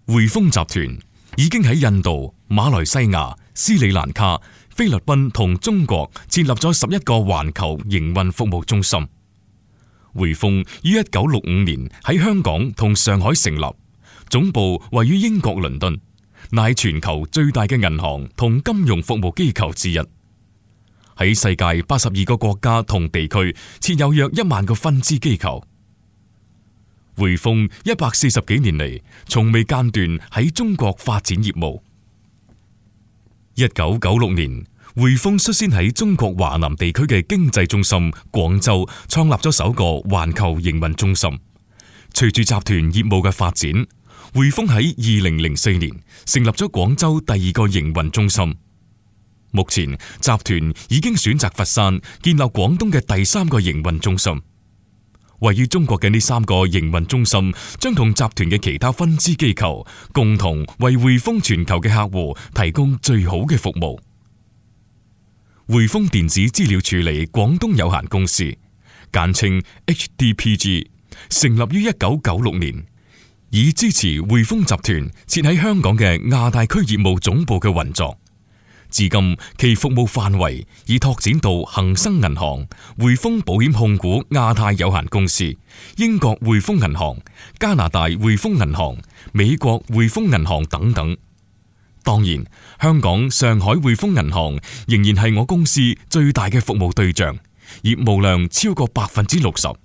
匯豐集團已經喺印度、馬來西亞、斯里蘭卡、菲律賓同中國設立咗11個環球營運服務中心。匯豐於1965年喺香港同上海成立，總部位於英國倫敦，乃全球最大嘅銀行同金融服務機構之一。喺世界82個國家同地區設有約1萬個分支機構。匯豐140幾年嚟，從未間斷喺中國發展業務。1996年，匯豐率先喺中國華南地區嘅經濟中心廣州創立咗首個環球營運中心。隨住集團業務嘅發展，匯豐喺2004年成立咗廣州第2個營運中心。目前集團已經選擇佛山建立廣東嘅第3個營運中心。位於中國嘅呢3個營運中心將同集團嘅其他分支機構共同為匯豐全球嘅客戶提供最好嘅服務。匯豐電子資料處理廣東有限公司，簡稱 HDPG， 成立於1996年，以支持匯豐集團設喺香港嘅亞太區業務總部嘅運作。至今其服務範圍已拓展到恒生銀行、匯豐保險控股亞太有限公司、英國匯豐銀行、加拿大匯豐銀行、美國匯豐銀行等等。當然，香港上海匯豐銀行仍然係我公司最大嘅服務對象，業務量超過60%。